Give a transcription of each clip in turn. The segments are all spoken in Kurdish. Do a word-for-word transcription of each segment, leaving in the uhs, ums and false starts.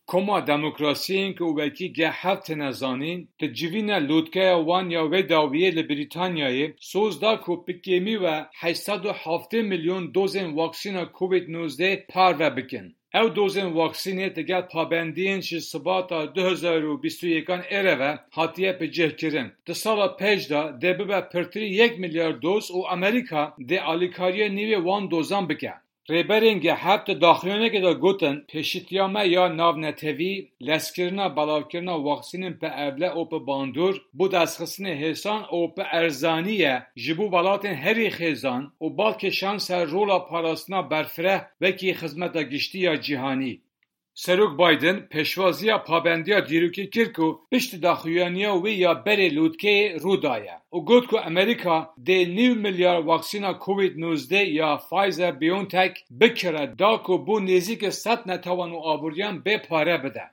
Koma demokrasiyên ku wekî G heft têne zanîn, di civîna lûtkeya wan ya wê dawiyê li Brîtanyayê soz da ku bi kêmî ve heşt sed û heftê milyon dozên waksîna Covid nozdeh parve bikin. Ew dozên waksînê digel pabendiyên ji Sibata du hezar û bîst û yekan êre ve hatiye bicihkirin. Di sala pêş de dê bibe pirtirî yek milyar doz û Amerîka dê alîkariya nîvê wan dozan bike. Rêberên G heft di daxuyaniyekê de gotin, pêşîtiya me ya navnetewî, lezkirina belavkirina waksînên bi evle û bi bandor, bo destxistinê hêsan û bi erzanî ye ji bo welatên herî xêzan û bal kêşan ser rola parastina berfireh wekî xizmeta giştî ya cîhanî. Serok Biden pêşwaziya pabendiya dîrokî kir ku piştî daxuyaniya wê ya berê lûtkeyê rû daye û got ku Amerîka dê nîv milyar waksîna Covid nozdeh ya Pfizer-BioNTech bikire da ku bo nêzîkî sed netewan û aboriyan bê pare bide.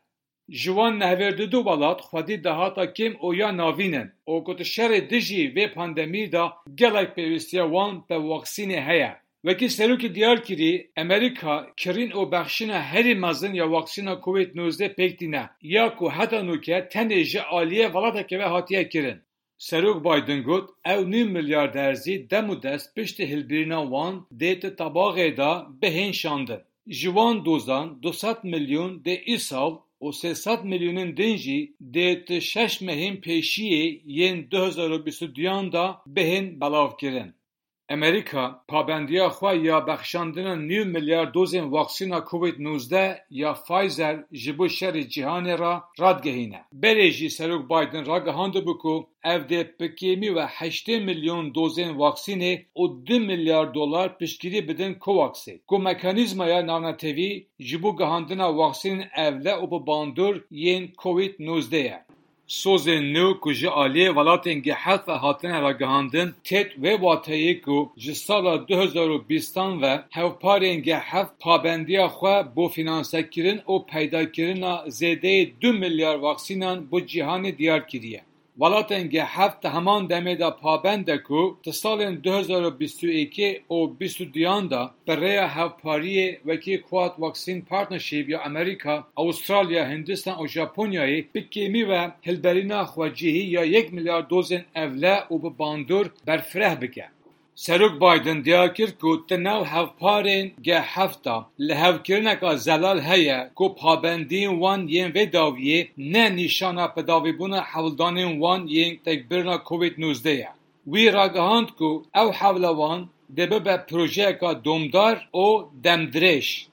Ji wan nehvêrî du welat xwedî dahata kêm û ya navîn in û ku di şerê dijî vê pandemî de gelek pêwîstiya wan bi waksînê heye. Wekî serokê diyar kirî, Amerîka kirîn û bexşîna herî mezin ya waksîna Covid nozdeh pêk tîne, ya ku heta nûke tenê ji aliyê welatekê ve hatiye kirin. Serok Biden got, ew nîv milyar derzî dem û dest piştî hilbirîna wan dê di tebaxê de bihên şandin. Ji wan dozan du sed milyon dê îsal û sê sed milyonên din jî dê di şeş mehên pêşiyê yên du hezar û bîst û duyan de bihên belavkirin. Amerîka pabendiya xwe ya bexşandina nîv milyar dozên waksîna Covid nozdeh ya Pfizer ji bo şerê cîhanê re radigehîne. Berê jî Serok Biden ragihandibû ku ev dê bi kêmî ve heştê milyon dozên waksînê û du milyar dolar piştgirî bidin COVAXê, ku mekanîzmaya navnetewî ji bo gihandina waksînên evle û bi bandor yên Covid nozdeh ye. Sozên nû ku ji aliyê welatên G heft ve hatine ragihandin, têt wê wateyê ku ji sala du hezar û bîstan ve hevparên G heft pabendiya xwe bo fînansekirin û peydakirina zêdeyê du milyar vaksînan bo cîhanê diyar kiriye. Welatên G heft di heman demê de pabend e ku di salên du hezar û bîst û yekê û bîst û duyan de bi rêya hevpariyê wekî Quad Vaccine Partnership ya Amerîka, Avustralya, Hindistan û Japonyayê bi kêmî ve hilberîna xwecihî ya yek milyar dozên evle û bi bandor berfireh bike. Serok Biden diyar kir ku di nav hevparên G heft de lihevkirineka zelal heye ku pabendiyên wan yên vê dawiyê ne nîşana bidawîbûna hewldanên wan yên têkbirina Covid nozdeh ye. Wî ragihand ku ew hewla wan dê bibe projeyeka domdar û demdirêj.